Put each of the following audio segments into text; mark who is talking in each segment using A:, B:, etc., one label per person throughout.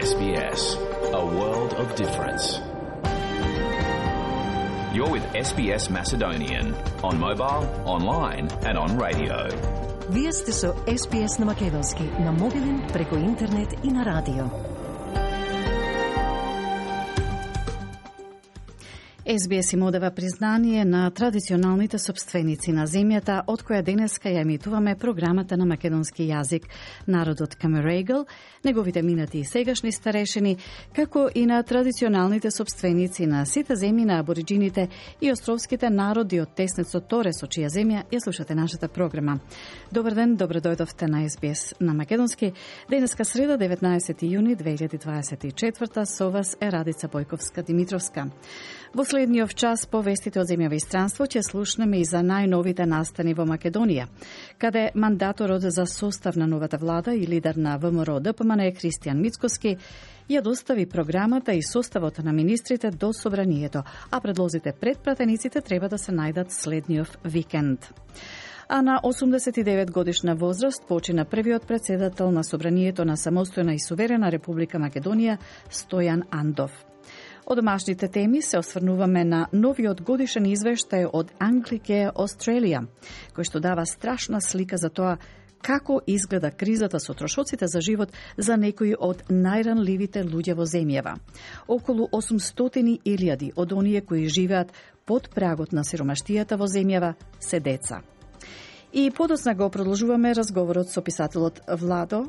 A: SBS, a world of difference. You're with SBS Macedonian on mobile, online and on radio.
B: Вие сте со SBS на македонски, на мобилен, преку интернет и на радио. SBS им одава признание на традиционалните собственици на земјата, од која денеска ја емитуваме програмата на македонски јазик. Народот Камерегл, неговите минати и сегашни старешини, како и на традиционалните собственици на сите земји на абориджините и островските народи од теснецот Торе, со чија земја ја слушате нашата програма. Добар ден, добро дојдовте на SBS на македонски. Денеска среда, 19 јуни 2024, со вас е Радица Бојковска-Димитровска. Во следниот час по вестите од земјава и странство ќе слушнеме и за најновите настани во Македонија, каде мандаторот за состав на новата влада и лидер на ВМРО ДПМН Христијан Мицкоски ја достави програмата и составот на министрите до собранието, а предлозите пред пратениците треба да се најдат следниот викенд. А на 89 годишна возраст почина првиот претседател на собранието на самостојна и суверена Република Македонија Стојан Андов. Од домашните теми се осврнуваме на новиот годишен извештај од Anglicare Australia, кој што дава страшна слика за тоа како изгледа кризата со трошоците за живот за некои од најранливите луѓе во земјава. Околу 800.000 од оние кои живеат под прагот на сиромаштијата во земјава се деца. И подоцна го продолжуваме разговорот со писателот Владо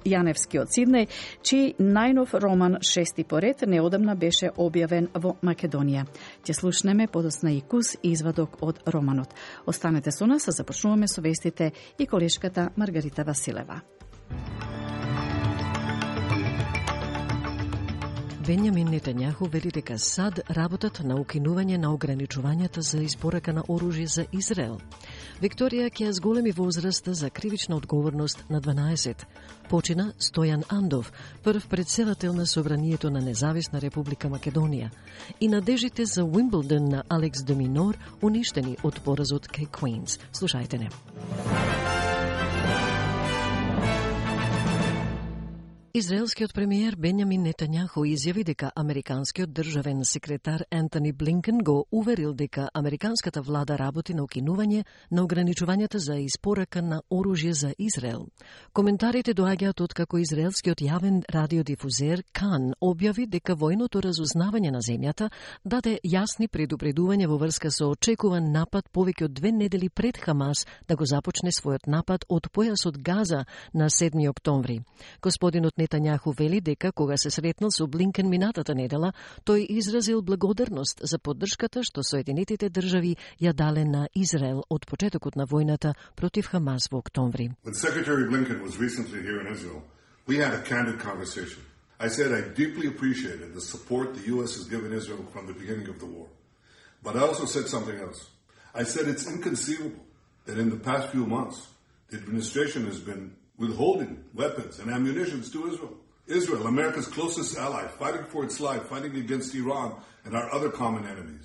B: Јаневски од Сиднеј, чиј најнов роман «Шести поред» неодамна беше објавен во Македонија. Ќе слушнеме подоцна и кус извадок од романот. Останете со нас, а започнуваме со вестите и колешката Маргарита Василева.
C: Бенјамин Нетањаху вели дека САД работат на укинување на ограничувањата за испорака на оружје за Израел. Викторија ќе с големи возраст за кривична одговорност на 12. Почина Стојан Андов, прв претседател на собранието на Независна Република Македонија, и надежите за Уимблдон на Алекс де Минор уништени од поразот кај Квинс. Слушајте не. Израелскиот премиер Бенјамин Нетањаху изјави дека американскиот државен секретар Ентони Блинкен го уверил дека американската влада работи на укинување на ограничувањата за испорака на оружје за Израел. Коментарите доаѓаат од како израелскиот јавен радиодифузер Кан објави дека војното разузнавање на земјата даде јасни предупредувања во врска со очекуван напад повеќе од 2 недели пред Хамас да го започне својот напад од појасот Газа на 7 октомври. Господинот Нетањаху вели дека кога се сретнал со Блинкен минатата недела, тој изразил благодарност за поддршката што Соединетите држави ја дале на Израел од почетокот на војната против Хамас во октомври.
D: When Secretary Blinken was recently here in Israel, we had a candid conversation. I said I deeply appreciated the support the U.S. has given Israel from the beginning of the war. But I also said something else. I said it's inconceivable that in the past few months, the administration has been withholding weapons and ammunition to Israel. Israel, America's closest ally, fighting for its life, fighting against Iran and our other common enemies.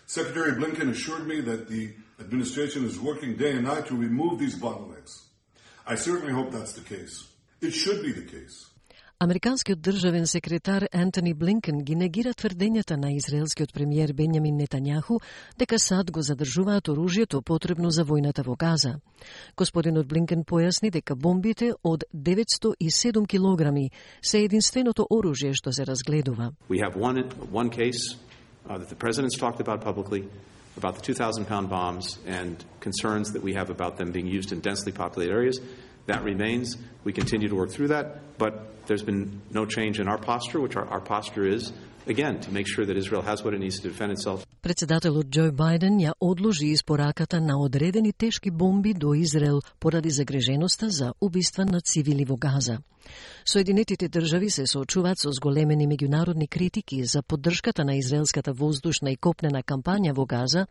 D: Secretary Blinken assured me that the administration is working day and night to remove these bottlenecks. I certainly hope that's the case. It should be the case.
C: Американскиот државен секретар Ентони Блинкен ги негира тврдењата на израелскиот премиер Бенјамин Нетањаху дека САД го задржуваат оружјето потребно за војната во Газа. Господинот Блинкен појасни дека бомбите од 907 килограми се единственото оружје што се разгледува.
E: We have one case that the president's talked about publicly about the 2,000-pound bombs and concerns that we have about them being used in densely populated areas. That remains. We continue to work through that, but there's been no change in our posture, which our posture is, again, to make sure that Israel has what it needs to defend itself.
C: Председателот Џо Бајден ја одложи испораката на одредени тешки бомби до Израел поради загриженоста за убиства на цивили во Газа. Соединетите држави се соочуваат со зголемени меѓународни критики за поддршката на израелската воздушна и копнена кампања во Газа,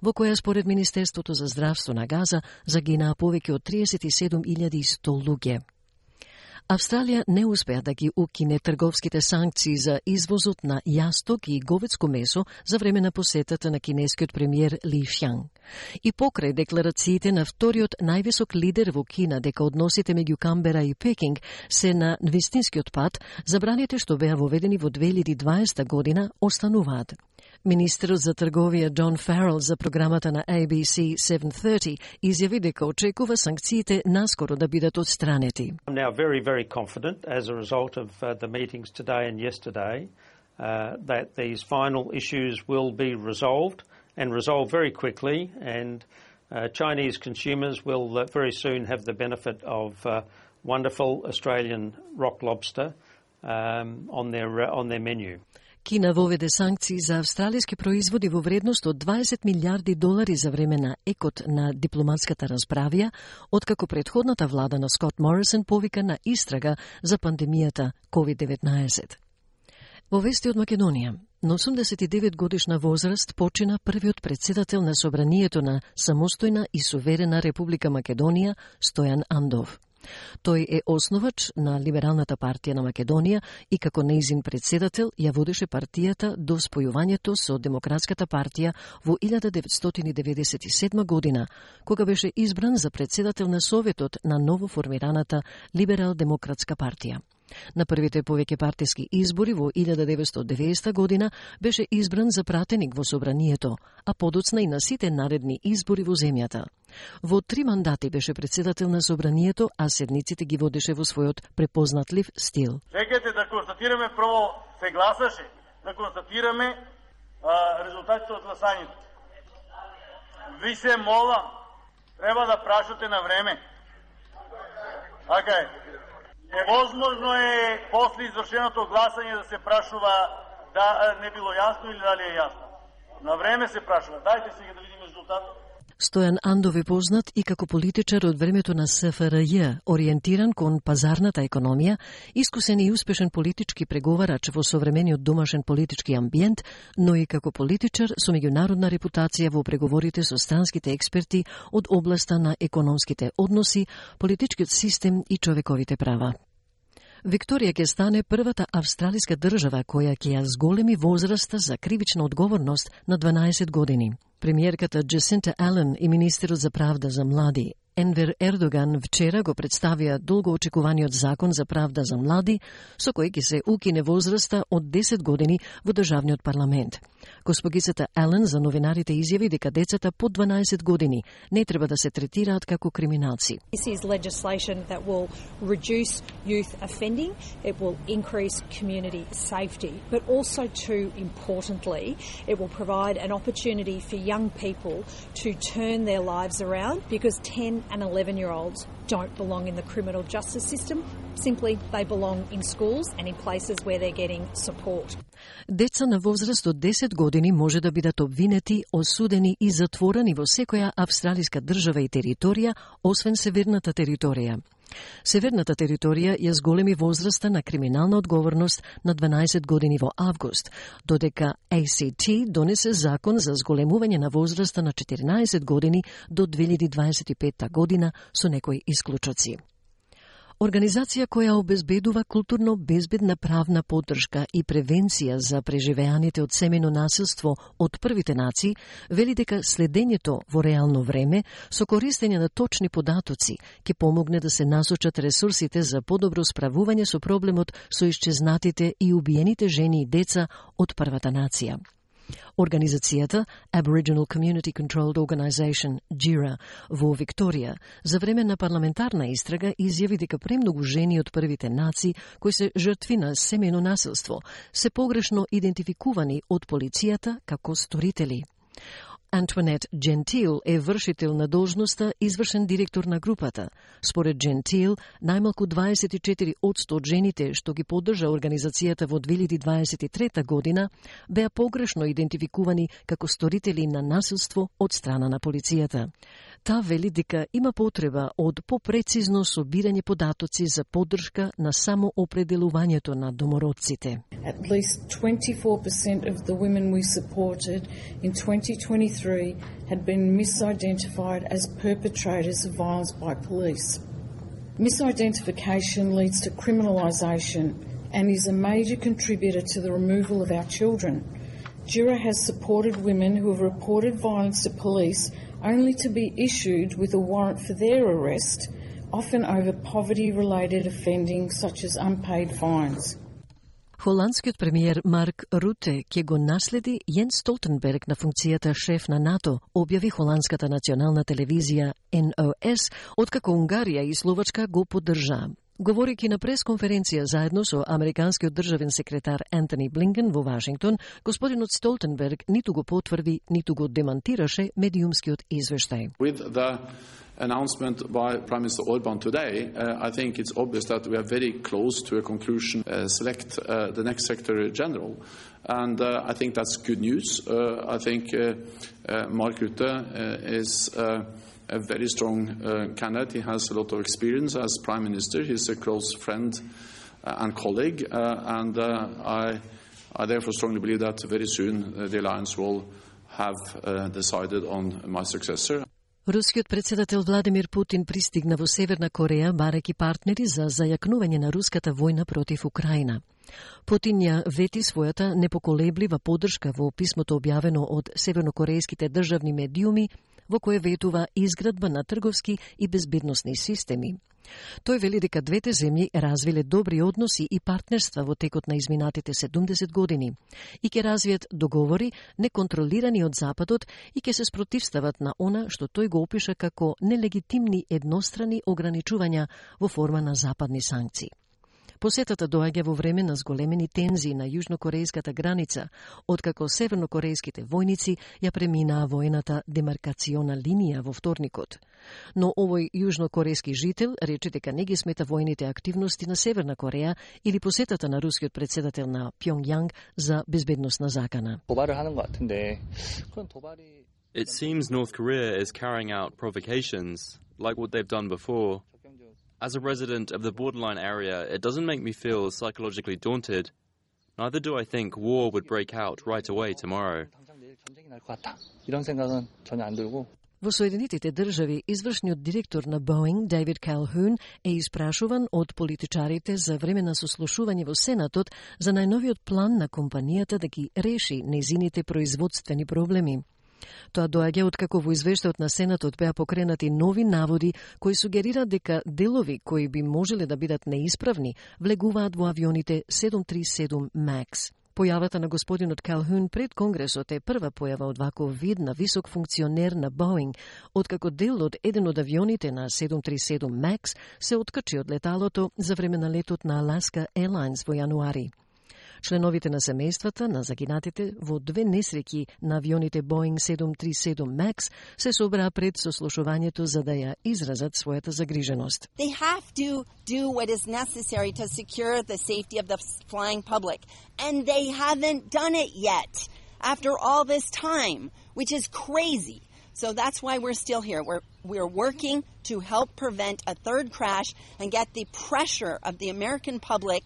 C: во која според Министерството за здравство на Газа загинаа повеќе од 37.100 луѓе. Австралија не успеа да ги укине трговските санкции за извозот на јасток и говедско месо за време на посетата на кинескиот премиер Ли Шјанг. И покрај декларациите на вториот највисок лидер во Кина дека односите меѓу Камбера и Пекинг се на вистинскиот пат, забраните што беа воведени во 2020 година остануваат. Министерот за трговија Джон Фарел за програмата на ABC 730 изјави дека очекува санкциите наскоро да бидат отстранети.
F: I'm now very confident as a result of the meetings today and yesterday that these final issues will be resolved and resolved very quickly, and Chinese consumers will very soon have the benefit of wonderful Australian rock lobster on their menu.
C: Кина воведе санкции за австралиски производи во вредност од $20 милиарди за време на екот на дипломатската расправија, откако претходната влада на Скот Морисон повика на истрага за пандемијата COVID-19. Во вести од Македонија, на 89 годишна возраст почина првиот председател на Собранието на самостојна и суверена Република Македонија, Стојан Андов. Тој е основач на Либералната партија на Македонија и како нејзин председател ја водеше партијата до спојувањето со Демократската партија во 1997 година, кога беше избран за председател на Советот на новоформираната Либерал-демократска партија. На првите повеќе партиски избори во 1990 година беше избран за пратеник во Собранието, а подоцна и на сите наредни избори во земјата. Во 3 мандати беше председател на Собранието, а седниците ги водеше во својот препознатлив стил.
G: Чекайте да констатираме, прво се гласаше, да констатираме резултатите од гласањето. Ви се молам, треба да прашате на време. Така е. Невозможно е после извршеното гласање да се прашува да не било јасно или дали е јасно. На време се прашува. Дајте сега да видиме резултатот.
C: Стојан Андов е познат и како политичар од времето на СФРЈ, ориентиран кон пазарната економија, искусен и успешен политички преговарач во современиот домашен политички амбиент, но и како политичар со меѓународна репутација во преговорите со странските експерти од областа на економските односи, политичкиот систем и човековите права. Викторија ќе стане првата австралиска држава која ќе ја зголеми возраста за кривична одговорност на 12 години. Премиерката Джасинта Ален и министерот за правда за млади Енвер Ердоган вчера го представија долго очекуваниот закон за правда за млади, со кој ќе се укине возраста од 10 години во државниот парламент. Госпогицата Ален за новинарите изјави дека децата под 12 години не треба да се третираат како криминалци.
H: This is legislation that will reduce youth offending, it will increase community safety, but also too importantly, it will provide an opportunity for young people to turn their lives around, because 10 and 11-year-olds don't belong in the criminal justice system. Simply, they belong in schools and in places where they're getting support.
C: Деца на возраст од 10 години може да бидат обвинети, осудени и затворени во секоја австралиска држава и територија, освен северната територија. Северната територија ја зголеми возраста на криминална одговорност на 12 години во август, додека ACT донесе закон за зголемување на возраста на 14 години до 2025 година со некои исклучоци. Организација која обезбедува културно безбедна правна поддршка и превенција за преживеаните од семејно насилство од првите нации, вели дека следењето во реално време со користење на точни податоци ќе помогне да се насочат ресурсите за подобро справување со проблемот со исчезнатите и убиените жени и деца од првата нација. Организацијата Aboriginal Community Controlled Organisation, GIRA, во Викторија, за време на парламентарна истрага изјави дека премногу жени од првите нации кои се жртви на семејно насилство се погрешно идентификувани од полицијата како сторители. Антуанет Джентил е вршител на должноста извршен директор на групата. Според Джентил, најмалку 24% од жените што ги поддржа организацијата во 2023 година беа погрешно идентификувани како сторители на насилство од страна на полицијата. Та вели дека има потреба од попрецизно собирање податоци за поддршка на само определувањето на домородците.
I: At least 24% of the women we supported in 2023 had been misidentified as perpetrators of violence by police. Misidentification leads to criminalisation and is a major contributor to the removal of our children. Jura has supported women who have reported violence to police only to be issued with a warrant for their arrest, often over poverty-related offending such as unpaid fines.
C: Холандскиот премиер Марк Руте ќе го наследи Јенс Столтенберг на функцијата шеф на НАТО, објави холандската национална телевизија NOS, откако Унгарија и Словачка го поддржаа. Говорејќи на пресконференција заедно со американскиот државен секретар Ентони Блинкен во Вашингтон, господинот Столтенберг ниту го потврди, ниту го демантираше медиумскиот извештај.
E: With the announcement by Prime Minister Orban today, I think it's obvious that we are very close to a conclusion, select the next Secretary General. And I think that's good news. I think Mark Rutte is a very strong candidate. He has a lot of experience as Prime Minister. He's a close friend and colleague. And I therefore strongly believe that very soon the Alliance will have decided on my successor.
C: Рускиот председател Владимир Путин пристигна во Северна Кореја барајќи партнери за зајакнување на руската војна против Украина. Путин ја вети својата непоколеблива поддршка во писмото објавено од севернокорејските државни медиуми, во кое ветува изградба на трговски и безбедносни системи. Тој вели дека двете земји развиле добри односи и партнерства во текот на изминатите 70 години и ќе развијат договори неконтролирани од Западот и ќе се спротивстават на она што тој го опиша како нелегитимни еднострани ограничувања во форма на западни санкции. Посетата доаѓа во време на зголемени тензии на јужнокорејската граница, откако севернокорејските војници ја преминаа воената демаркациона линија во вторникот. Но овој јужнокорејски жител рече дека не ги смета војните активности на Северна Кореја или посетата на рускиот председател на Пјонгјанг за безбедносна закана.
J: It seems North Korea is carrying out provocations like what they've done before. As a resident of the borderline area, it doesn't make me feel psychologically daunted. Neither do I think war would break out right away tomorrow.
C: Во Соединетите држави, извршниот директор на Боинг, Дейвид Калхун, е испрашуван од политичарите за време на сослушување во Сенатот за најновиот план на компанијата да ги реши нејзините производствени проблеми. Тоа доаѓа откако во извештајот на Сенатот беа покренати нови наводи кои сугерираат дека делови кои би можеле да бидат неисправни влегуваат во авионите 737 MAX. Појавата на господинот Калхун пред Конгресот е прва појава од ваков вид на висок функционер на Боинг, откако дел од еден од авионите на 737 MAX се откачи од леталото за време на летот на Alaska Airlines во јануари. Членовите на семејствата на загинатите во две несреќи на авионите Boeing 737 MAX се собраа пред сослушувањето за да ја изразат својата загриженост.
K: They have to do what is necessary to secure the safety of the flying public, and they haven't done it yet after all this time, which is crazy. So that's why we're still here. We're working to help prevent a third crash and get the pressure of the American public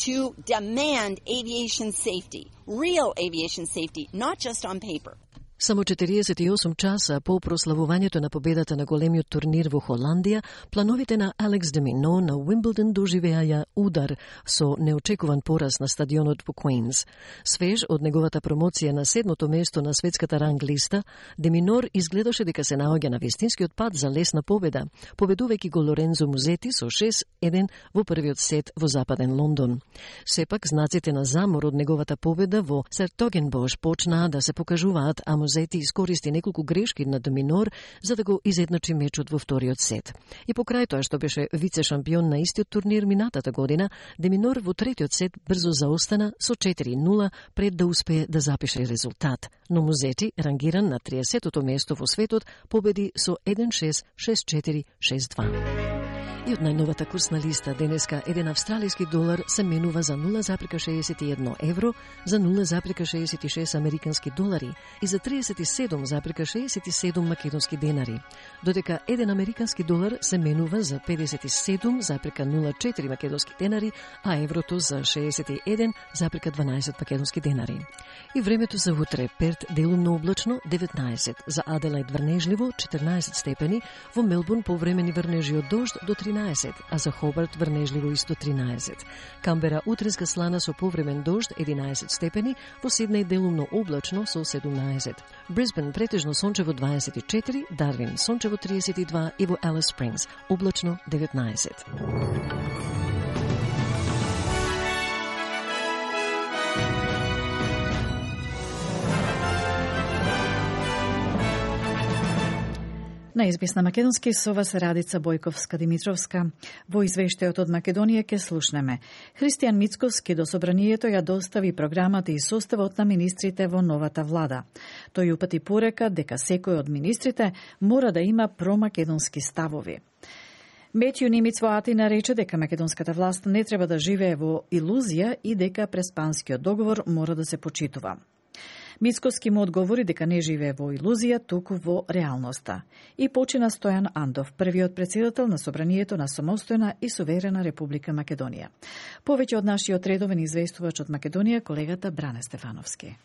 K: to demand aviation safety, real aviation safety, not just on paper.
C: Само 48 часа по прославувањето на победата на големиот турнир во Холандија, плановите на Алекс де Мино на Уимблдон доживеаја удар со неочекуван пораз на стадионот во Куинс. Свеж од неговата промоција на 7-то место на светската ранг листа, де Минор изгледаше дека се наоѓа на вистинскиот пат за лесна победа, победувајќи го Лорензо Музети со 6-1 во првиот сет во Западен Лондон. Сепак знаците на замор од неговата победа во Сертогенбош почнаа да се покажуваат, а Музети искористи неколку грешки на де Минор за да го изедначи мечот во вториот сет. И покрај тоа што беше вице-шампион на истиот турнир минатата година, де Минор во третиот сет брзо заостана со 4-0 пред да успее да запише резултат. Но Музети, рангиран на 30-тото место во светот, победи со 1-6, 6-4, 6-2. И од најновата курсна листа денеска еден австралиски долар се менува за 0,61 евро, за 0,66 американски долари и за 37,67 македонски денари, додека еден американски долар се менува за 57,04 македонски денари, а еврото за 61,12 македонски денари. И времето за утре: Перт делумно облачно 19, за Аделаид врнежливо 14 степени, во Мелбурн повремени врнежи од дожд до 30 13, а за Хобарт врнежливо исто 13. Камбера утреска слана со повремен дожд 11 степени, во Сиднеј делумно облачно со 17. Брисбен претежно сончево 24, Дарвин сончево 32 и во Алис Спрингс облачно 19.
B: На СБС на македонски со вас Радица Бојковска-Димитровска. Во извештајот од Македонија ке слушнеме. Христијан Мицковски до собранието ја достави програмата и составот на министрите во новата влада. Тој упати порека дека секој од министрите мора да има промакедонски ставови. Метју Нимиц во Атина рече дека македонската власт не треба да живее во илузија и дека Преспанскиот договор мора да се почитува. Мицковски му одговори дека не живее во илузија, туку во реалноста. И почина Стојан Андов, првиот претседател на собранието на самостојна и суверена Република Македонија. Повеќе од нашиот редовен известувач од Македонија, колегата Бране Стефановски.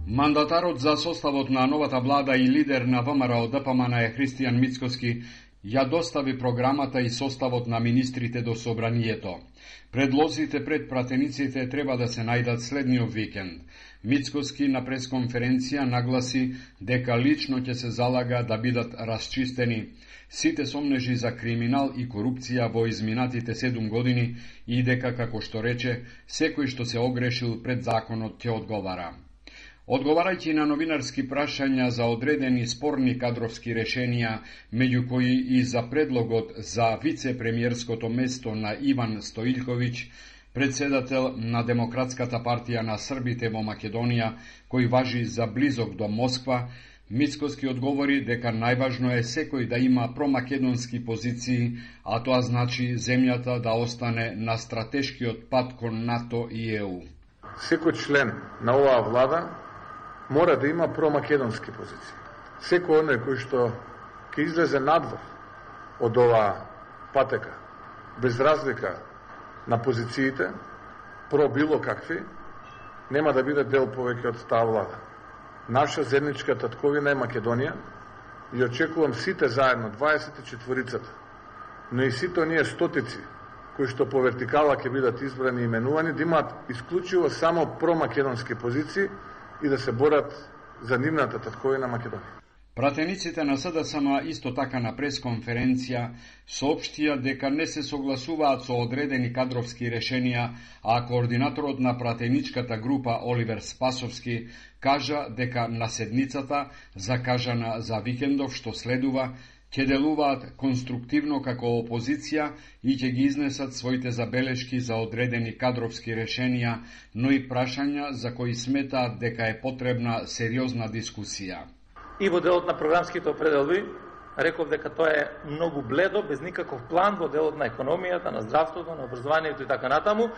L: Мандатарот за составот на новата влада и лидер на ВМРО ДПМН е Христијан Мицковски ја достави програмата и составот на министрите до собранието. Предлозите пред пратениците треба да се најдат следниот викенд. Мицковски на пресконференција нагласи дека лично ќе се залага да бидат расчистени сите сомнежи за криминал и корупција во изминатите 7 години и дека, како што рече, секој што се огрешил пред законот ќе одговара. Одговарајќи на новинарски прашања за одредени спорни кадровски решенија, меѓу кои и за предлогот за вице-премиерското место на Иван Стоилковиќ, председател на Демократската партија на Србите во Македонија, кој важи за близок до Москва, Мицковски одговори дека најважно е секој да има промакедонски позиции, а тоа значи земјата да остане на стратешкиот пат кон НАТО и ЕУ.
M: Секој член на оваа влада мора да има промакедонски позиции. Секој оној кој што ќе излезе надвор од оваа патека, без разлика на позициите, про било какви, нема да биде дел повеќе од таа влада. Наша заедничка татковина е Македонија и очекувам сите заедно, 24-цата, но и сите оние стотици кои што по вертикала ќе бидат избрани и именувани, да имаат исклучиво само промакедонски позиции и да се борат за нивната татковина Македонија.
L: Пратениците на СДСМ исто така на пресконференција соопштија дека не се согласуваат со одредени кадровски решенија, а координаторот на пратеничката група Оливер Спасовски кажа дека на седницата, закажана за викендов што следува, ќе делуваат конструктивно како опозиција и ќе ги изнесат своите забелешки за одредени кадровски решенија, но и прашања за кои сметаат дека е потребна сериозна дискусија.
N: И во делот на програмските определби, реков дека тоа е многу бледо, без никаков план во делот на економијата, на здравството, на образованието и така натаму,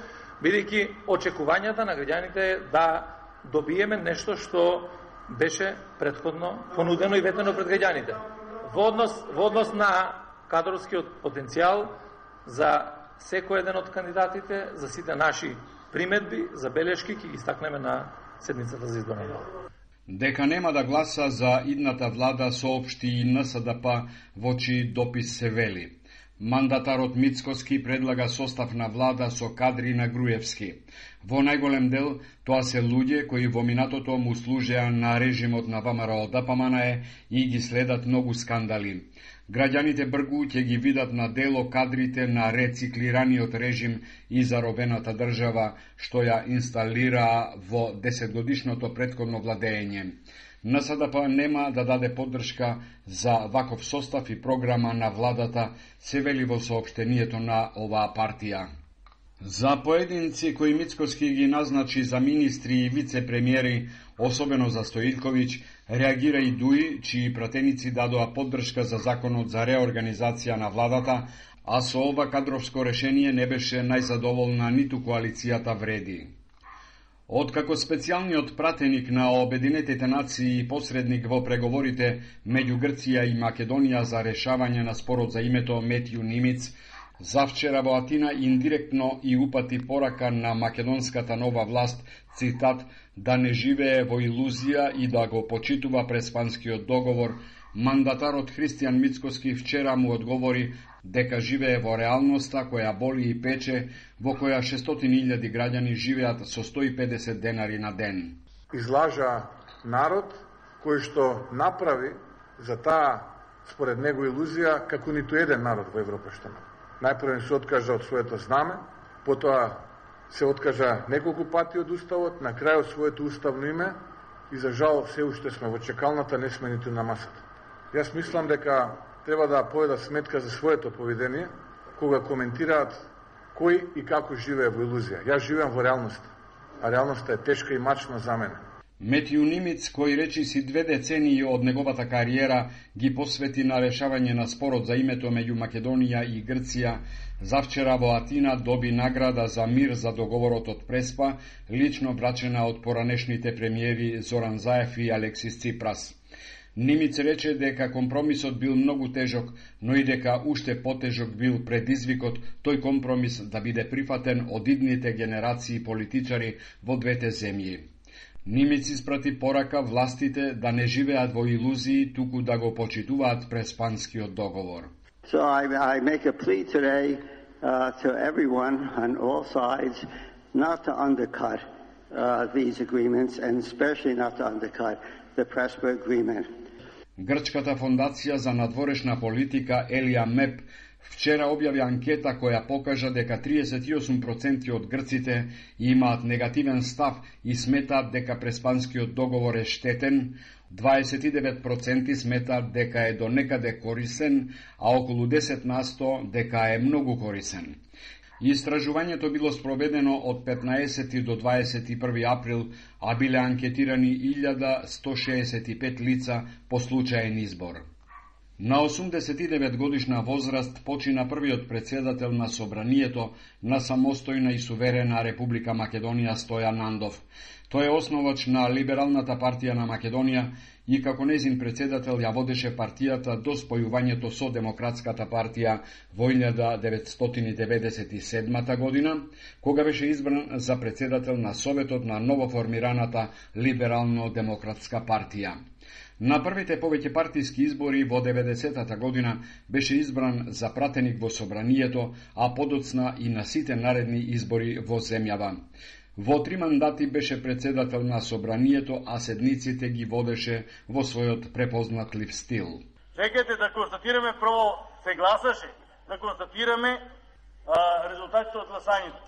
N: бидејќи очекувањата на граѓаните да добиеме нешто што беше претходно понудено и ветено пред граѓаните. Во однос на кадровскиот потенцијал за секој еден од кандидатите, за сите наши приметби, забелешки, ќе ги истакнеме на седницата за изборна влада.
L: Дека нема да гласа за идната влада соопшти и НСДП во чиј допис се вели. Мандатарот Мицковски предлага состав на влада со кадри на Груевски. Во најголем дел, тоа се луѓе кои во минатото му служеа на режимот на ВМРО ДПМН и ги следат многу скандали. Граѓаните бргу ќе ги видат на дело кадрите на рециклираниот режим и заробената држава што ја инсталираа во 10-годишното претходно владење. НСДП нема да даде поддршка за ваков состав и програма на владата, се вели во соопштението на оваа партија. За поединци кои Мицковски ги назначи за министри и вице-премиери, особено за Стоилковиќ, реагира и ДУИ, чии пратеници дадоа поддршка за законот за реорганизација на владата, а со ова кадровско решение не беше најзадоволна ниту коалицијата Вреди. Откако специјалниот пратеник на Обединетите нации и посредник во преговорите меѓу Грција и Македонија за решавање на спорот за името Метју Нимиц, завчера во Атина индиректно и упати порака на македонската нова власт, цитат, да не живее во илузија и да го почитува Преспанскиот договор, Мандатарот Христијан Мицкоски вчера му одговори дека живее во реалноста која боли и пече, во која 600.000 граѓани живеат со 150 денари на ден.
M: Излажа народ кој што направи за таа, според него, илузија како ниту еден народ во Европа што има. Најпрво се откажа од своето знаме, потоа се откажа неколку пати од уставот, на крајот своето уставно име и за жал се уште сме во чекалната, не сме ниту на масата. Јас мислам дека треба да поведат сметка за своето поведение кога коментираат кој и како живее во илузија. Јас живеам во реалноста, а реалноста е тешка и мачна за мене.
L: Метју Нимиц, кој речиси 2 децении од неговата кариера ги посвети на решавање на спорот за името меѓу Македонија и Грција, завчера во Атина доби награда за мир за договорот од Преспа, лично врачена од поранешните премиери Зоран Заев и Алексис Ципрас. Нимиц рече дека компромисот бил многу тежок, но и дека уште потежок бил предизвикот тој компромис да биде прифатен од идните генерации политичари во двете земји. Нимиц испрати порака властите да не живеат во илузии, туку да го почитуваат Преспанскиот договор.
O: So I make a plea today to everyone on all sides not to undercut these agreements and especially not to undercut the Prespa agreement.
L: Грчката фондација за надворешна политика Елија Меп вчера објави анкета која покажа дека 38% од грците имаат негативен став и сметаат дека Преспанскиот договор е штетен, 29% сметаат дека е до некаде корисен, а околу 10% дека е многу корисен. Истражувањето било спроведено од 15 до 21 април, а биле анкетирани 1165 лица по случаен избор. На 89 годишна возраст почина првиот претседател на Собранието на самостојна и суверена Република Македонија Стојан Андов. Тој е основач на Либералната партија на Македонија и како незин претседател ја водеше партијата до спојувањето со Демократската партија во 1997 година, кога беше избран за претседател на Советот на новоформираната Либерално-демократска партија. На првите повеќе партиски избори во 90-та година беше избран за пратеник во Собранието, а подоцна и на сите наредни избори во земјава. Во 3 мандати беше председател на Собранието, а седниците ги водеше во својот препознатлив стил.
G: Чекайте да констатираме прво се гласаше, да констатираме резултатите од гласањето.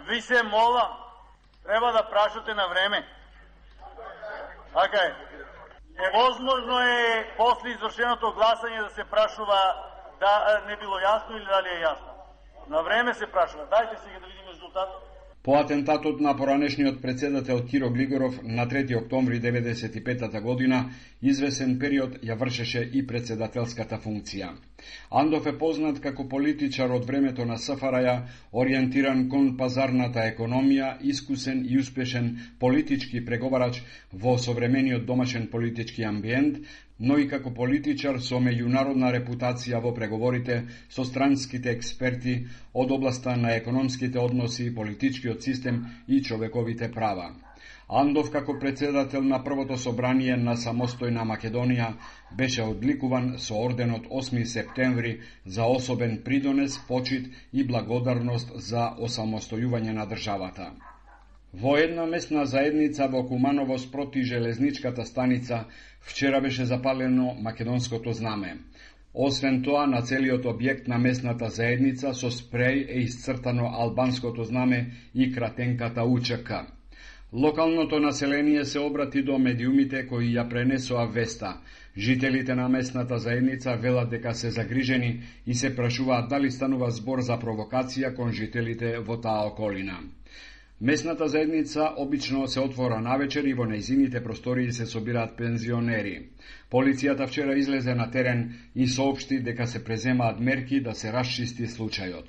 G: Ви се молам, треба да прашате на време. Така е. Невозможно е после извршеното гласање да се прашува да не било јасно или дали е јасно. На време се прашува. Дајте сега да видиме резултат.
L: По атентатот на поранешниот претседател Киро Глигоров на 3 октомври 1995 година, извесен период ја вршеше и претседателската функција. Андов е познат како политичар од времето на СФРЈ, ориентиран кон пазарната економија, искусен и успешен политички преговарач во современиот домашен политички амбиент, но и како политичар со меѓународна репутација во преговорите со странските експерти од областа на економските односи, политичкиот систем и човековите права. Андов како председател на првото собрание на самостојна Македонија беше одликуван со орденот 8 септември за особен придонес, почит и благодарност за осамостојување на државата. Во една местна заедница во Куманово спроти железничката станица вчера беше запалено македонското знаме. Освен тоа, на целиот објект на местната заедница со спреј е исцртано албанското знаме и кратенката УЧК. Локалното население се обрати до медиумите кои ја пренесоа веста. Жителите на местната заедница велат дека се загрижени и се прашуваат дали станува збор за провокација кон жителите во таа околина. Местната заедница обично се отвора навечер и во нејзините простории се собираат пензионери. Полицијата вчера излезе на терен и соопшти дека се преземаат мерки да се расчисти случајот.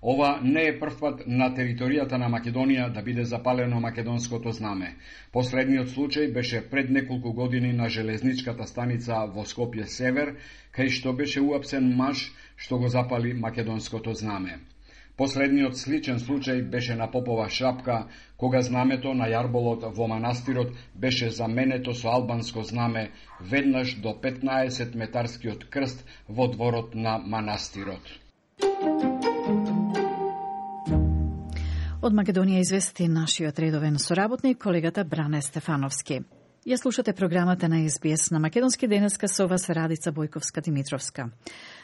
L: Ова не е првпат на територијата на Македонија да биде запалено македонското знаме. Последниот случај беше пред неколку години на железничката станица во Скопје Север, кај што беше уапсен маж што го запали македонското знаме. Последниот сличен случај беше на Попова шапка, кога знамето на јарболот во манастирот беше заменето со албанско знаме веднаш до 15-метарскиот крст во дворот на манастирот.
B: Од Македонија извести нашиот редовен соработник, колегата Бране Стефановски. Ја слушате програмата на СБС на Македонски денеска со вас Радица Бојковска-Димитровска.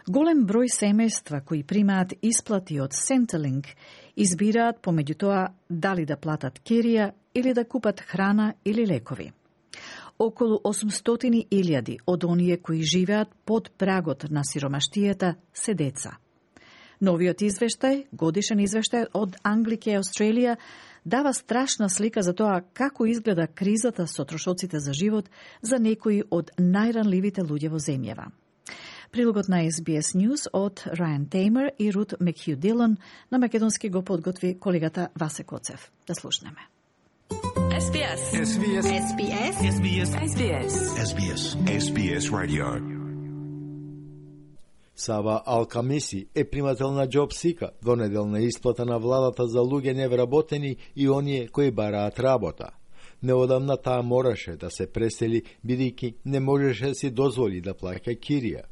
B: Голем број семејства кои примаат исплати од Centrelink избираат помеѓу тоа дали да платат кирија или да купат храна или лекови. Околу 800.000 од оние кои живеат под прагот на сиромаштијата се деца. Новиот извештај, годишен извештај од Англика и Австралија, дава страшна слика за тоа како изгледа кризата со трошоците за живот за некои од најранливите луѓе во земјава. Прилогот на SBS News од Райан Теймер и Рут Мекхју Дилон на македонски го подготви колегата Васе Коцев. Да слушнеме.
P: SBS. SBS. SBS. SBS. SBS. SBS. SBS Radio.
Q: Сава Ал-Камиси е примател на JobSeeker, двонеделна исплата на владата за луѓе невработени и оние кои бараат работа. Неодамна таа мораше да се пресели, бидејќи не можеше да си дозволи да плаќа кирија.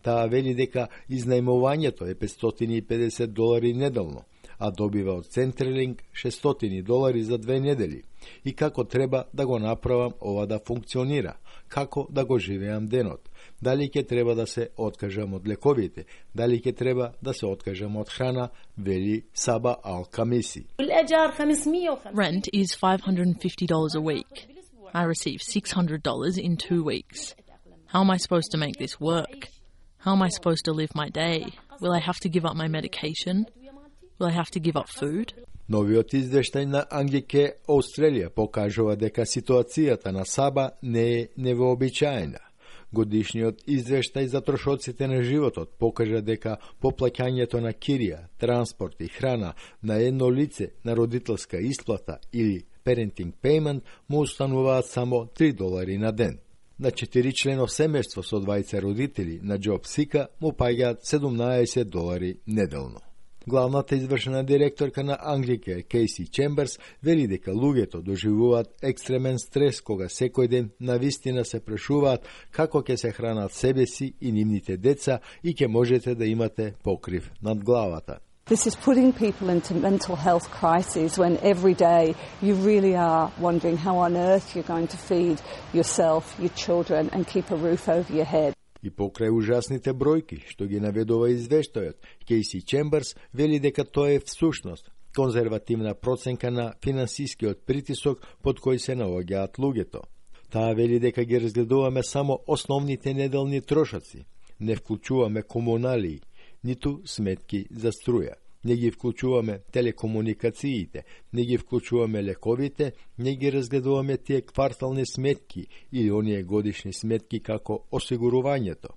Q: Таа вели дека изнајмувањето е $550 неделно, а добива од Centrelink $600 за 2 недели. И како треба да го направам ова да функционира, како да го живеам денот. Дали ќе треба да се откажам од лековите, дали ќе треба да се откажам од храна, вели Саба Ал-Камиси.
R: Rent is $550 a week. I receive $600 in 2 weeks. How am I supposed to make this work? How am I supposed to live my day? Will I have to give up my medication? Will I have to give up food?
Q: Новиот извештај на Англика Австралија покажува дека ситуацијата на Саба не е невообичаена. Годишниот извештај за трошоците на животот покажа дека поплаќањето на кирија, транспорт и храна на едно лице на родителска исплата или parenting payment му устануваат само $3 на ден. На 4-членов семејство со двајца родители на JobSeeker му паѓаат $17 неделно. Главната извршена директорка на Англика, Кейси Чемберс, вели дека луѓето доживуваат екстремен стрес кога секој ден навистина се прашуваат како ќе се хранат себе си и нивните деца и ќе можете да имате покрив над главата.
S: This is putting people into mental health crises when every day you really are wondering how on earth you're going to feed yourself, your children and keep a roof over your head.
Q: И покрај ужасните бројки што ги наведува извештајот, Кейси Чемберс вели дека тоа е всушност конзервативна проценка на финансискиот притисок под кој се наоѓаат луѓето. Таа вели дека ги разгледуваме само основните неделни трошоци, не вклучуваме комуналии, ниту сметки за струја. Не ги вклучуваме телекомуникациите, не ги вклучуваме лековите, не ги разгледуваме тие квартални сметки или оние годишни сметки како осигурувањето.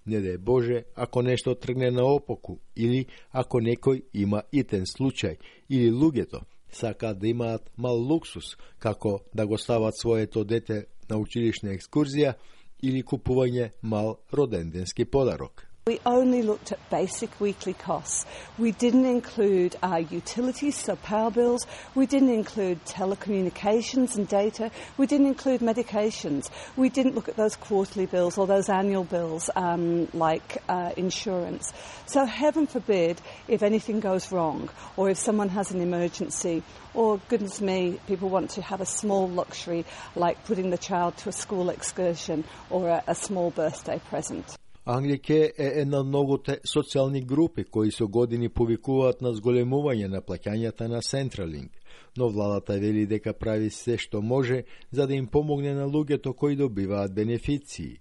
Q: Не да е Боже, ако нешто тргне наопаку, или ако некој има итен случај, или луѓето сакаат да имаат мал луксус, како да го стават своето дете на училишна екскурзија или купување мал роденденски подарок.
S: We only looked at basic weekly costs. We didn't include our utilities, so power bills. We didn't include telecommunications and data. We didn't include medications. We didn't look at those quarterly bills or those annual bills like insurance. So heaven forbid if anything goes wrong or if someone has an emergency or, goodness me, people want to have a small luxury like putting the child to a school excursion or a small birthday present.
Q: Англика е една од многуте социјални групи кои со години повикуваат на зголемување на плаќањата на Centrelink, но владата вели дека прави се што може за да им помогне на луѓето кои добиваат бенефиции.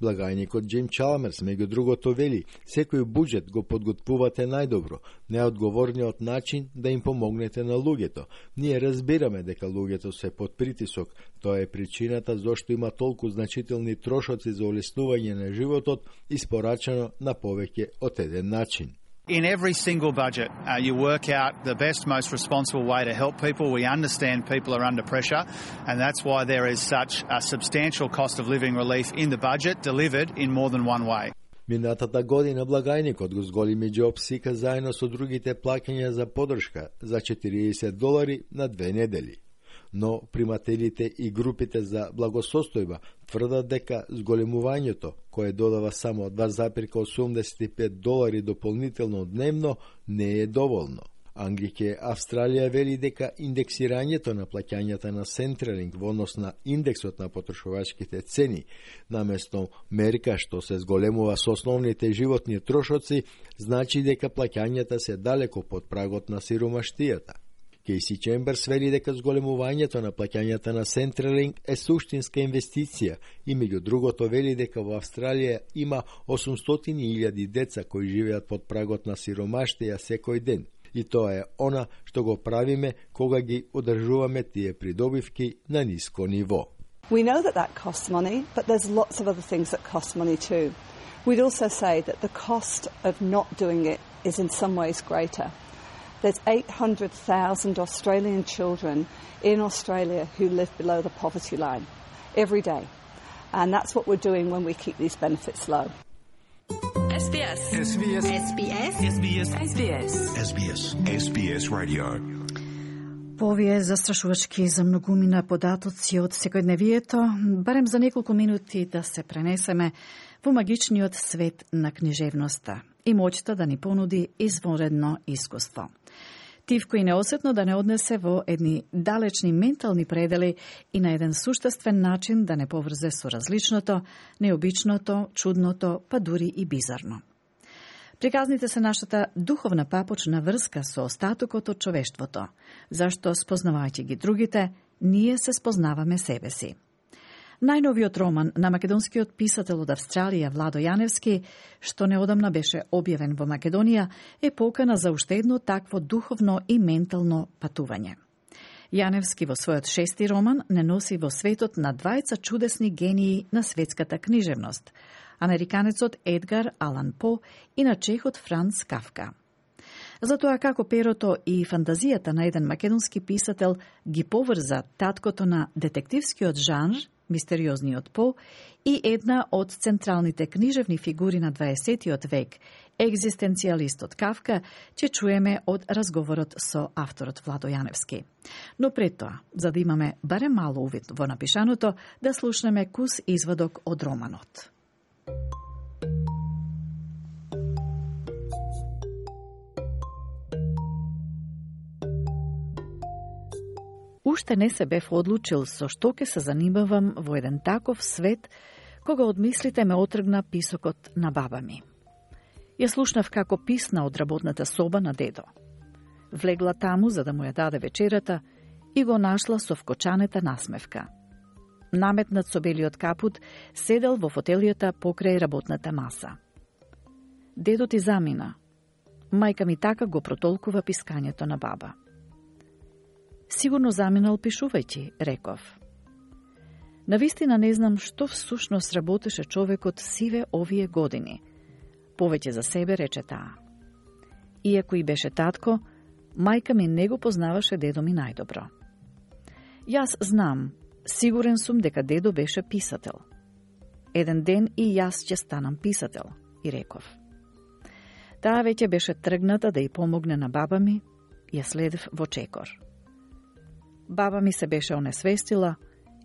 Q: Благајникот Джим Чалмерс, меѓу другото, вели, секој буџет го подготвувате најдобро, најодговорниот начин да им помогнете на луѓето. Ние разбираме дека луѓето се под притисок, тоа е причината зашто има толку значителни трошоци за олеснување на животот, испорачано на повеќе од еден начин.
T: In every single budget, you work out the best, most responsible way to help people. We understand people are under pressure, and that's why there is such a substantial cost of living relief in the budget delivered in more than one way.
Q: Минатата година благајникот го зголеми JobSeeker заедно со другите плаќања за поддршка за $40 на 2 недели. Но примателите и групите за благосостојба тврдат дека зголемувањето, кое додава само $2,85 дополнително дневно, не е доволно. Ангрике Австралија вели дека индексирањето на плаќањата на Centrelink во однос на индексот на потрошувачките цени, наместо мерка што се зголемува со основните животни трошоци, значи дека плаќањата се далеко под прагот на сиромаштијата. Кейси Чемберс вели дека зголемувањето на плаќањата на Centrelink е суштинска инвестиција и меѓу другото вели дека во Австралија има 800.000 деца кои живеат под прагот на сиромаштија секој ден. И тоа е она што го правиме кога ги одржуваме тие придобивки на ниско ниво.
S: We know that costs money, but there's lots of other things that cost money too. We'd also say that the cost of not doing it is in some ways greater. There's 800,000 Australian children in Australia who live below the poverty line every day. And that's what we're doing when we keep these benefits low.
P: SBS. SBS. SBS. SBS. SBS. SBS. SBS Radio.
B: По овие застрашувачки за многумина податоци од секојдневието, барем за неколку минути да се пренесеме во магичниот свет на книжевноста и моќта да ни понуди извонредно искуство. Тивко и неосетно да не однесе во едни далечни ментални предели и на еден суштествен начин да не поврзе со различното, необичното, чудното, па дури и бизарно. Приказните се нашата духовна папочна врска со остатокот од човештвото, зашто спознавајќи ги другите, ние се спознаваме себе си. Најновиот роман на македонскиот писател од Австралија Владо Јаневски, што неодамна беше објавен во Македонија, е покана за уште едно такво духовно и ментално патување. Јаневски во својот 6-ти роман не носи во светот на двајца чудесни гении на светската книжевност, американецот Едгар Алан По и на чехот Франц Кафка. Затоа како перото и фантазијата на еден македонски писател ги поврза таткото на детективскиот жанр, мистериозниот По, и една од централните книжевни фигури на 20 век, екзистенцијалистот Кафка, ќе чуеме од разговорот со авторот Владо Јаневски. Но пред тоа, за да имаме барем мало увид во напишаното, да слушнеме кус извадок од романот. Уште не се бев одлучил со што ќе се занимавам во еден таков свет, кога од мислите ме отргна писокот на баба ми. Ја слушнав како писна од работната соба на дедо. Влегла таму за да му ја даде вечерата и го нашла со вкочанета насмевка. Наметнат со белиот капут, седел во фотелијата покрај работната маса. Дедо ти замина. Мајка ми така го протолкува пискањето на баба. Сигурно заминал пишувајќи, реков. Навистина не знам што всушност работеше човекот сиве овие години. Повеќе за себе рече таа. Иако и беше татко, мајка ми не го познаваше дедо ми најдобро. Јас знам, сигурен сум дека дедо беше писател. Еден ден и јас ќе станам писател, и реков. Таа веќе беше тргната да ја помогне на баба ми, ја следев во чекор. Баба ми се беше онесвестила,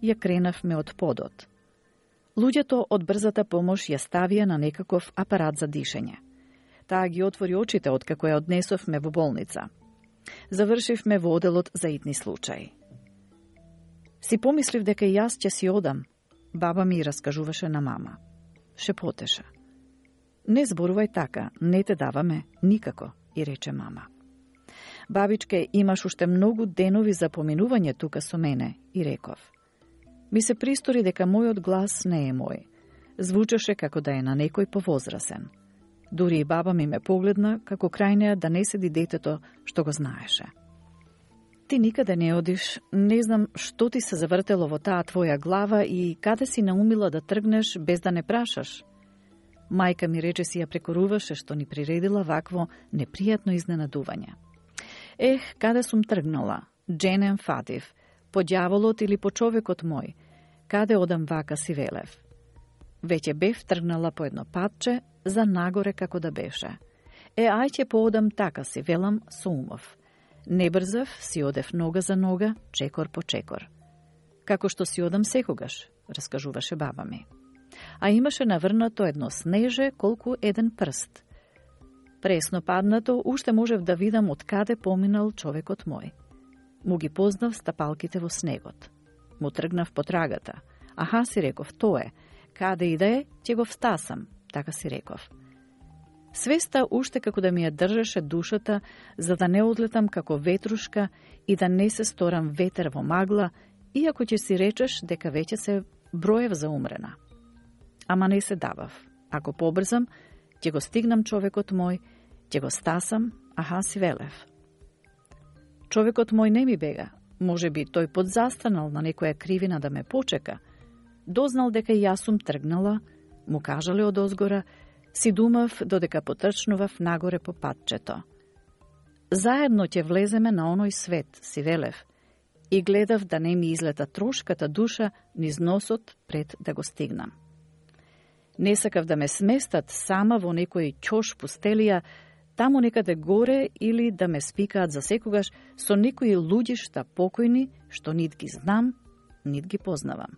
B: ја кренавме од подот. Луѓето од брзата помош ја ставија на некаков апарат за дишење. Таа ги отвори очите откако ја однесовме во болница. Завршивме во оделот за итни случаи. Си помислив дека и јас ќе си одам, баба ми раскажуваше на мама. Шепотеше. Не зборувај така, не те даваме никако, и рече мама. Бабичке, имаш уште многу денови за поминување тука со мене, и реков. Ми се пристори дека мојот глас не е мој. Звучеше како да е на некој повозрасен. Дури и баба ми ме погледна, како крај неа да не седи детето што го знаеше. Ти никаде не одиш, не знам што ти се завртело во таа твоја глава и каде си наумила да тргнеш без да не прашаш. Мајка ми рече си ја прекоруваше што ни приредила вакво непријатно изненадување. Ех, каде сум тргнала? Дженем фатив, по ѓаволот или по човекот мој? Каде одам вака си велев? Веќе бев тргнала по едно патче, за нагоре како да беше. Ај ќе поодам така, си велам со умов. Не брзав, си одев нога за нога, чекор по чекор. Како што си одам секогаш, раскажуваше баба ми. А имаше наврнато едно снеже колку еден прст. Пресно паднато, уште можев да видам од каде поминал човекот мој. Му ги познав стапалките во снегот. Му тргнав по трагата. Аха, си реков, то е. Каде и да е, ќе го встасам, така си реков. Свеста уште како да ми ја држеше душата, за да не одлетам како ветрушка и да не се сторам ветер во магла, иако ќе си речеш дека веќе се броев за умрена. Ама не се давав. Ако побрзам, ќе го стигнам човекот мој, ќе го стасам, аха, си велев. Човекот мој не ми бега. Може би тој подзастанал на некоја кривина да ме почека. Дознал дека и јас сум тргнала, му кажале од озгора, си думав додека потрчнував нагоре по патчето. Заедно ќе влеземе на оној свет, си велев, и гледав да не ми излета трошката душа низ носот пред да го стигнам. Не сакав да ме сместат сама во некој ќош пустелија, таму некаде горе, или да ме спикаат за секогаш со некои луѓишта покојни, што нит ги знам, нит ги познавам.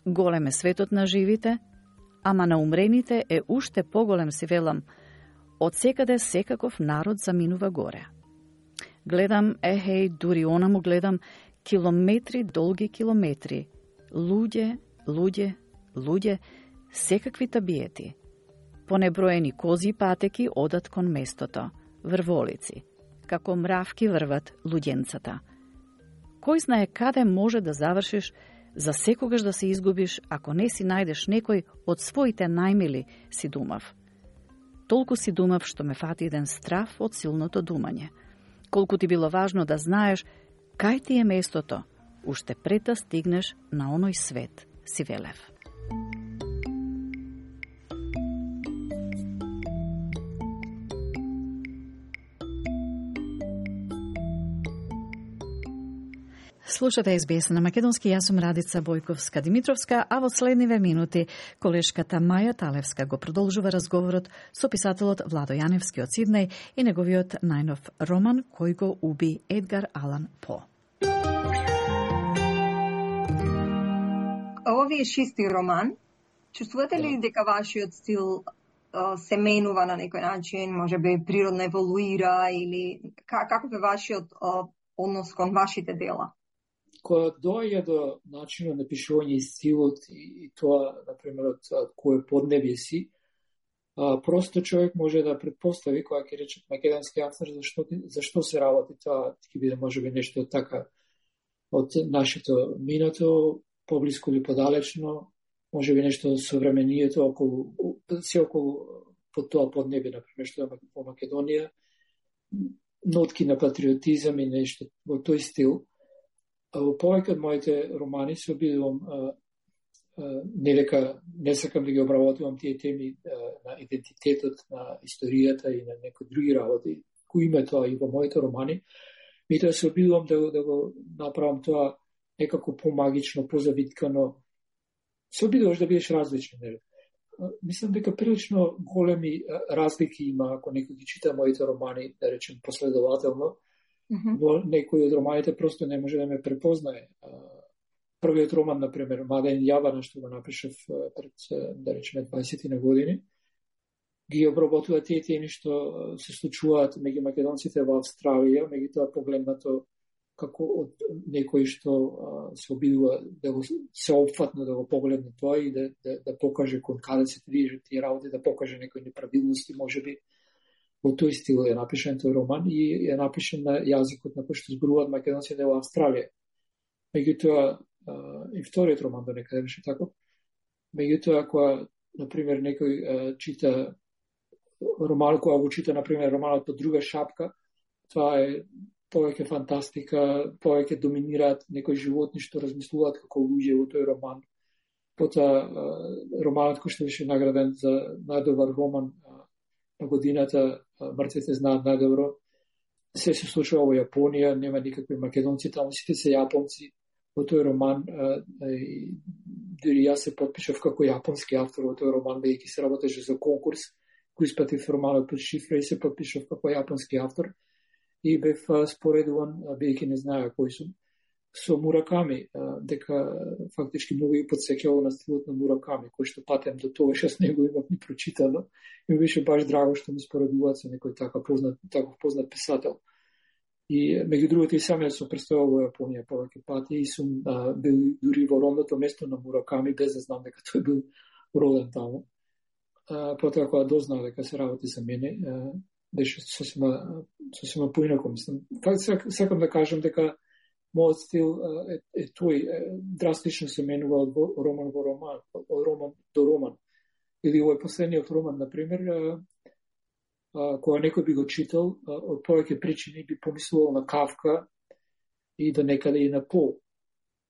B: Голем е светот на живите, ама на умрените е уште поголем, си велам, од секаде секаков народ заминува горе. Гледам, дури онаму гледам, километри, долги километри, луѓе, луѓе, луѓе, секакви табиети. Понеброени кози и патеки одат кон местото, врволици, како мравки врват луѓенцата. Кој знае каде може да завршиш, за секогаш да се изгубиш, ако не си најдеш некој од своите најмили, си думав. Толку си думав што ме фати еден страф од силното думање. Колку ти било важно да знаеш кај ти е местото, уште пред да стигнеш на оној свет, си велев. Слушате СБС на македонски, јас сум Радица Бојковска-Димитровска, а во следниве минути колешката Маја Талевска го продолжува разговорот со писателот Владо Јаневски од Сиднеј и неговиот најнов роман кој го уби Едгар Алан По.
U: Ова ви е шести роман. Чувствувате ли дека вашиот стил се менува на некој начин, може би природно еволуира, или каков е вашиот однос кон вашите дела?
V: Кога доаѓа до начинот на пишување и стилот и тоа, например, од кое поднебје си, просто човек може да предпостави, кога ќе рече македонски автор, зашто се работи тоа, ќе биде можеби нешто така од нашето минато, поблиско или подалечно, можеби нешто современието околу по тоа поднебје, например, што е во Македонија, нотки на патриотизам и нешто во тој стил. Во повеќе од моите романи се обидувам не сакам да ги обработувам тие теми на идентитетот, на историјата и на некои други работи, кои има тоа и во моите романи, меѓутоа се обидувам да го направам тоа некако помагично, позавиткано. Се обидуваш да бидеш различен. Мислам дека прилично големи разлики има ако некој ги чита моите романи, да речем последователно. Во некои од романите просто не може да ме препознае. Првиот роман, например, Маден Јавана, што го напишав пред, да речеме, 20 на години, ги обработува тие теми што се случуваат меѓу македонците во Австралија, меѓутоа погледнато како од некој што се обидува да го се опфатно да го погледне тоа и да покаже кон каде се движат тие работи, да покаже некои неправилности, можеби. Во тој стил е напишан тој роман и е напишан на јазикот на кој што зборуваат македонците во Австралија. Меѓутоа, и вториот роман до некаде беше таков. Меѓутоа, кога, например, некој чита роман, кога го чита, например, романот Под друга шапка, тоа е повеќе фантастика, повеќе доминираат некои животни што размислуваат како луѓе во тој роман. Потоа, романот кој што беше награден за најдобар роман на годината, Мртвите знаат најдобро, се случува во Јапонија, нема никакви македонци, таму сите се јапонци. Во тој роман дури јас се потпишав како јапонски автор во тој роман, бидејќи се работеше за конкурс, кој испратив романот под шифра и се потпишав како јапонски автор и бев споредуван, бидејќи не знаеа кој сум, со Мураками, дека фактички многу и подсеќало на стилот на Мураками, кој што патем до тогаш јас не го имав ни прочитано и беше баш драго што ми споредуваат со некој таков познат писател. И меѓу другото и сам јас сум представувал во Јапонија повеќе пати и сум бил дури во родното место на Мураками без да знам дека тој бил роден таму. Потоа кога дознав дека се работи за мене, беше сосема поинако, мислам. Сакам да кажам дека мојот стил е тој, драстично се менува од роман во роман, од роман до роман. Или овој последниот роман, например, кога некој би го читал, од повеќе причини би помислувал на Кавка и до некаде и на По.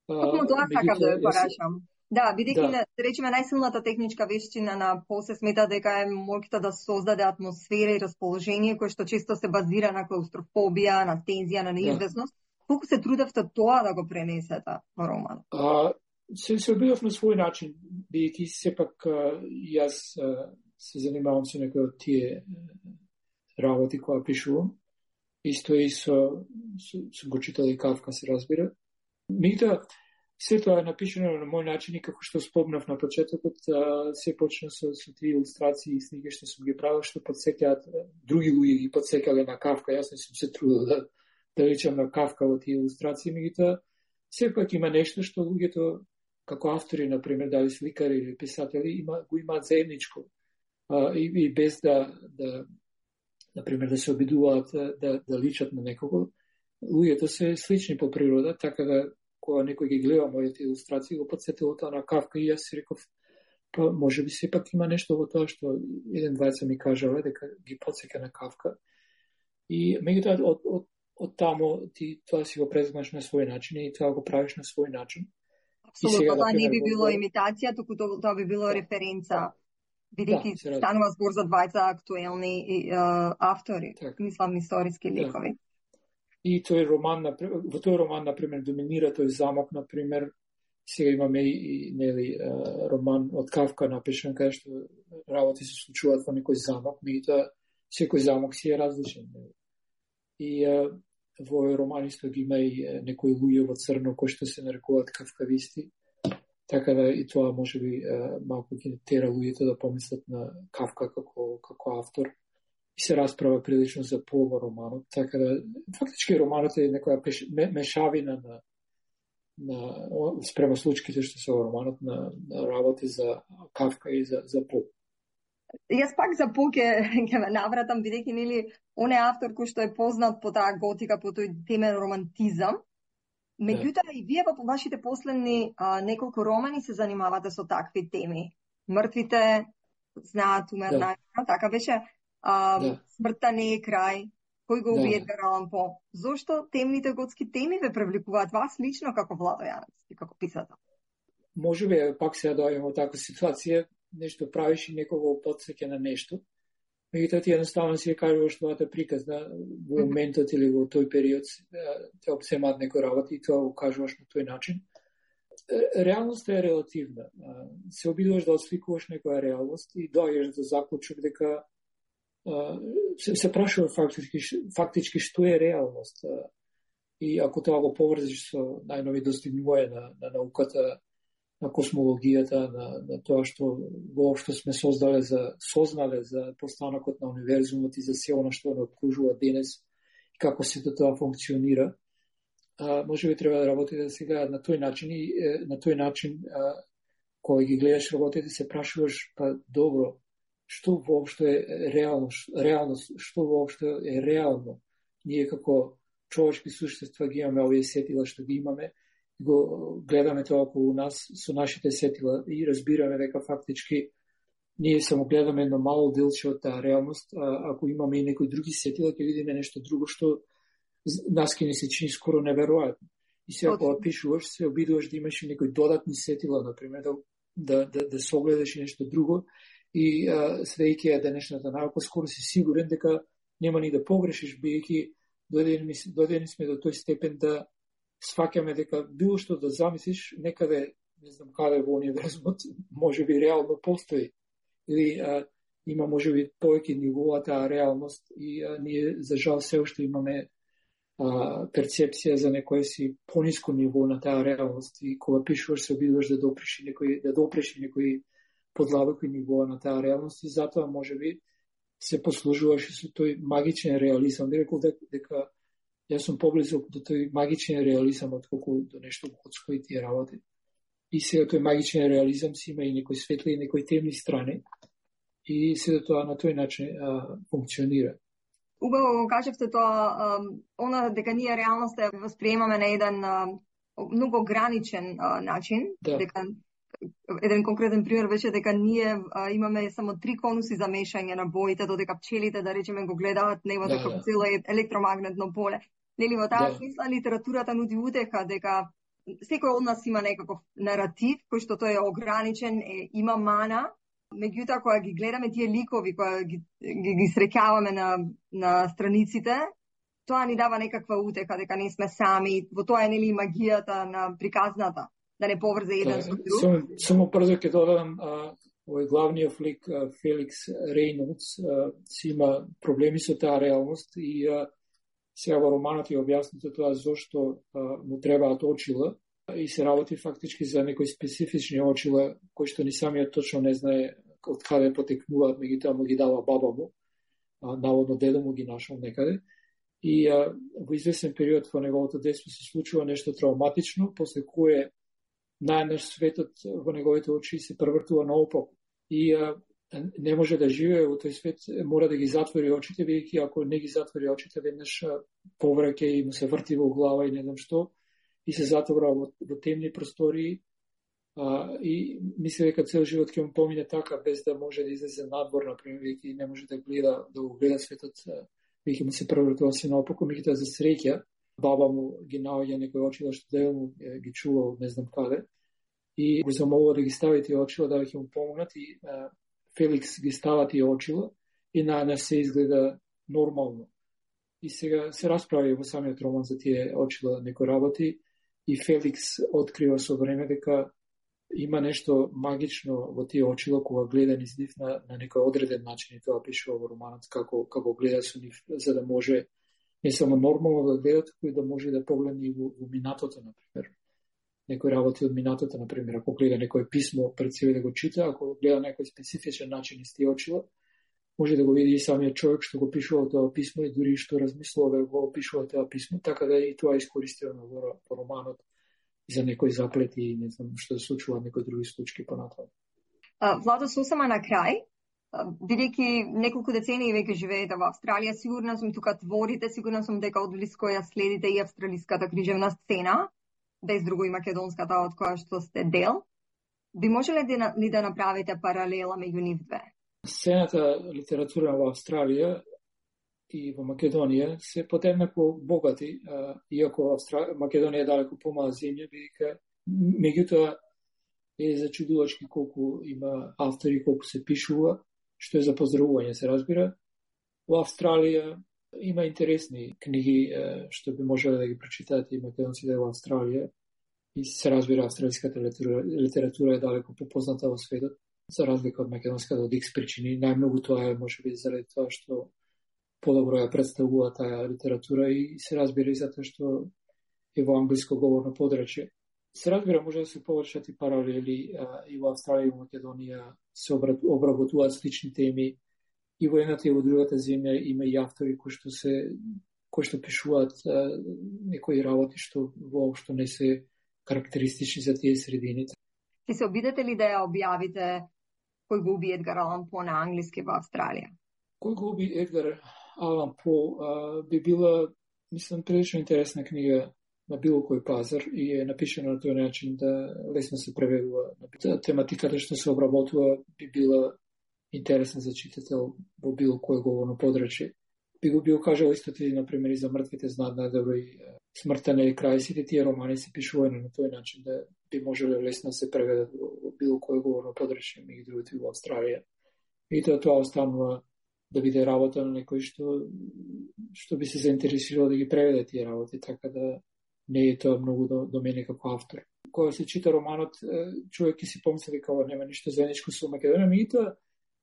U: Токму тоа сакам да порашам. Да, бидејќи да речеме најсилната техничка вештина на По се смета дека е моќта да создаде атмосфера и расположение кој што често се базира на клаустрофобија, на тензија, на неизвестност. Колку се трудевте тоа да го пренесете во роман?
V: Се обидов на свој начин, бидејќи сепак јас се занимавам со некои од тие работи која пишувам. Исто и со го читал и Кавка, се разбира. Меѓутоа, се тоа е напишано на мој начин и како што спомнав на почетокот, се почна со тие илустрации и сниги што сум ги правил, што подсеќаат други луѓе ги подсеќале на Кавка. Јас не сум се трудил да речам на Кавка во тие илустрации, меѓутоа сепак има нешто што луѓето како автори, например, дали сликари или писатели, го имаат заедничко. И без например, да се обидуваат да личат на некого, луѓето се слични по природа, така да кога некој ги гледа моите илустрации, го подсетило тоа на Кавка и јас си реков, па може би сепак има нешто во тоа што еден двајца ми кажале дека ги подсеќа на Кавка. И меѓутоа од таму ти тоа си го преземаш на свој начин и тоа го правиш на свој начин.
U: Апсолутно, тоа не би било имитација, туку тоа би било референца, бидејќи станува збор за двајца актуелни автори, мислам историски ликови.
V: И тој роман, во тој роман, например, доминира тој замок, например, сега имаме и нели роман од Кавка напишан, кај што работи се случуваат во некој замок, меѓутоа секој замок си е различен. И во овој роман исто ги има и некои луѓе во црно кои што се нарекуваат кавкависти, така да и тоа може би малку ги тера луѓето да помислат на Кавка како автор. И се расправа прилично за По во романот, така да фактички романот е некоја мешавина на спрема случаите што се во романот на работи за Кавка и за По.
U: Јас пак за По ќе ме навратам, бидејќи нели он е автор кој што е познат по таа готика, по тој темен романтизам. Меѓутоа и вие во вашите последни неколку романи се занимавате со такви теми. Мртвите знаат умерна, така беше. Смртта не е крај, кој го убие Едгар Алан По. Зошто темните готски теми ве привлекуваат вас лично како Владо Јаневски, како писател?
V: Може би пак се доаѓаме во таква ситуација, нешто правиш и некого потсеќа на нешто. Меѓутоа ти едноставно си кажуваш твојата приказна во моментот или во тој период, те обсемаат некој работи и тоа го кажуваш на тој начин. Реалноста е релативна. Се обидуваш да осликуваш некоја реалност и доаѓаш до заклучок дека се прашува фактички што е реалност. И ако тоа го поврзиш со најнови достигнувања на науката, на космологијата, на тоа што воопшто сме сознале за постанокот на универзумот и за се она што не обкружува денес и како сето тоа функционира, може би треба да работите сега на тој начин и на тој начин кога ги гледаш работите се прашуваш, па добро, што воопшто е реалност, што воопшто е реално. Ние како човечки суштества ги имаме овие сетила што ги имаме, го гледаме тоа околу нас со нашите сетила и разбираме дека фактички ние само гледаме едно мало делче од таа реалност, ако имаме и некои други сетила, ќе видиме нешто друго што нас ќе ни се чини скоро неверојатно. И сега кога пишуваш, се обидуваш да имаш и некои додатни сетила, например, да согледаш и нешто друго. И следејќи ја денешната наука, скоро си сигурен дека нема ни да погрешиш, бидејќи дојдени сме до тој степен да сфаќаме дека било што да замислиш некаде не знам каде во универзумот, може би реално постои. Или има може би повеќе нивоа таа реалност и ние за жал се уште имаме перцепција за некој си пониско ниво на таа реалност и кога пишуваш се обидуваш да допреш некои подлабоки нивоа на таа реалност и затоа може би се послужуваше со тој магичен реализам. Би рекол дека јас сум поблизок до тој магичен реализам отколку до нешто годско и тие работи. И сега тој магичен реализам си има и некои светли и некои темни страни и сега тоа на тој начин функционира.
U: Убаво го кажавте тоа, она дека ние реалноста ја восприемаме на еден многу ограничен начин, дека еден конкретен пример беше дека ние имаме само 3 конуси за мешање на боите, додека пчелите, да речеме, го гледаат небото како цело електромагнетно поле. Нели во таа смисла литературата нуди утеха дека секој од нас има некаков наратив кој што тој е ограничен, има мана. Меѓутоа, кога ги гледаме тие ликови, кога ги среќаваме на страниците, тоа ни дава некаква утеха дека не сме сами. Во тоа е нели магијата на приказната, да не поврзе еден со друг.
V: Само брзо ќе додадам, овој главниот флик Феликс Рейнолдс си има проблеми со таа реалност и сега во романот ја објаснете тоа зошто му требаат очила и се работи фактички за некои специфични очила кои што ни самиот точно не знае од каде потекнуваат, меѓутоа му ги дава баба му, наводно дедо му ги нашол некаде. И во известен период во неговото детство се случува нешто травматично, после кое најнаш светот во неговите очи се превртува наопаку. И не може да живее во тој свет, мора да ги затвори очите, бидејќи ако не ги затвори очите, веднаш повраќа и му се врти во глава и не знам што, и се затвора во темни простории, и мисли дека цел живот ќе му помине така, без да може да излезе надвор, например, бидејќи не може да го гледа светот, бидејќи му се превртува се наопаку, меѓутоа за среќа, баба му ги наоѓа некои очила што дедо му ги чувал не знам каде, и го замолува да ги стави тие очила да ќе му помогнат, и Феликс ги става тие очила и најнаш се изгледа нормално. И сега се расправи во самиот роман за тие очила некои работи и Феликс открива со време дека има нешто магично во тие очила кога гледа низ нив на некој одреден начин, и тоа пишува во романот како гледа со нив, за да може не само нормално да гледа, туку и да може да погледне и во минатото, например. Некои работи од минатото, например, ако гледа некој писмо пред себе да го чита, ако гледа некој специфичен начин из тие очила, може да го види и самиот човек што го пишува тоа писмо и дури што размислува да го пишува тоа писмо, така да и тоа е искористено во романот за некои заплети и не знам што се случува некои други случаи понатаму.
U: Владо, сосема на крај, бидејќи неколку децении веќе живеете во Австралија, сигурна сум тука творите, сигурна сум дека одблиско ја следите и австралиската книжевна сцена, без друго и македонската од која што сте дел. Би можеле ли да направите паралела меѓу нив две?
V: Сцената литература во Австралија и во Македонија се подеднакво богати, иако Македонија е далеко помала земја, бидејќи меѓутоа е зачудувачки колку има автори, колку се пишува, што е за поздравување, се разбира. Во Австралија има интересни книги што би можеле да ги прочитаат и македонците во Австралија. И се разбира, австралиската литература е далеко попозната во светот, за разлика од македонската од X причини. Најмногу тоа е можеби заради тоа што подобро ја представува таа литература и се разбира и затоа што е во англиско говорно подрачје. Се разбира, може да се површат и паралели и во Австралија и во Македонија се обработуваат слични теми. И во едната и во другата земја има и автори кои што пишуваат некои работи што воопшто не се карактеристични за тие средини.
U: Ќе се обидете ли да ја објавите Кој го уби Едгар Алан По на англиски во Австралија?
V: Кој го уби Едгар Алан По би била, мислам, прилично интересна книга на било кој пазар и е напишена на тој начин да лесно се преведува. Тематиката што се обработува би била интересна за читател во било кој говорно подрачје. Би го бил кажал истото и, например, и за мртвите знаат најдобро и Смртта не е крај. Сите тие романи се пишувани на тој начин да би можеле лесно се преведат во било кој говорно подрачје, меѓу другото и во Австралија. И тоа останува да биде работа на некој што би се заинтересирал да ги преведе тие работи, така да не е тоа многу до мене како автор. кога се чита романот, човек ќе си помисли дека ова нема ништо заедничко со Македонија, меѓутоа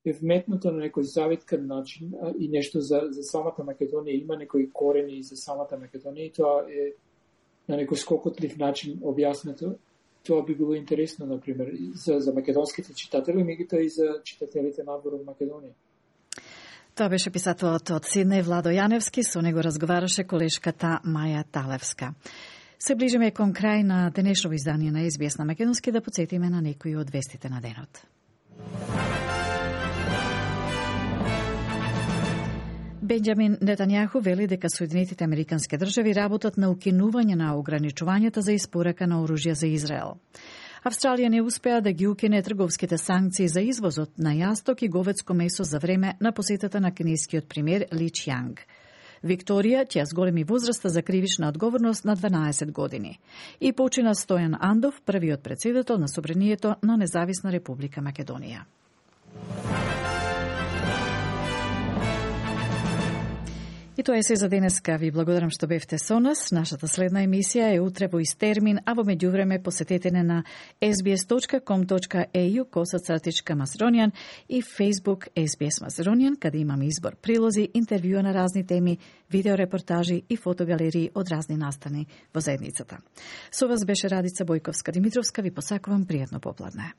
V: е вметнато на некој завиткан начин и нешто за самата Македонија, има некои корени за самата Македонија и тоа е на некој скокотлив начин објаснето. Тоа би било интересно, например, за македонските читатели, меѓутоа и за читателите надвор од Македонија.
B: Тоа беше писателот од Сиднеј Владо Јаневски, со него разговараше колешката Маја Талевска. Се ближиме кон крај на денешно издание на SBS на Македонски, да потсетиме на некои од вестите на денот. Бенџамин Нетањаху вели дека Соединетите Американски држави работат на укинување на ограничувањата за испорака на оружје за Израел. Австралија не успеа да ги укине трговските санкции за извозот на јасток и говедско месо за време на посетата на кинескиот премиер Ли Чјанг. Викторија ќе с големи возраста за кривична одговорност на 12 години. И почина Стојан Андов, првиот претседател на Собранието на Независна Република Македонија. И тоа е се за денеска. Ви благодарам што бевте со нас. Нашата следна емисија е утре во ист термин, а во меѓувреме посетете не на sbs.com.au/Macedonian и Facebook SBS Macedonian, каде имаме избор прилози, интервјуа на разни теми, видеорепортажи и фотогалерии од разни настани во заедницата. Со вас беше Радица Бојковска Димитровска. Ви посакувам пријатно попладне.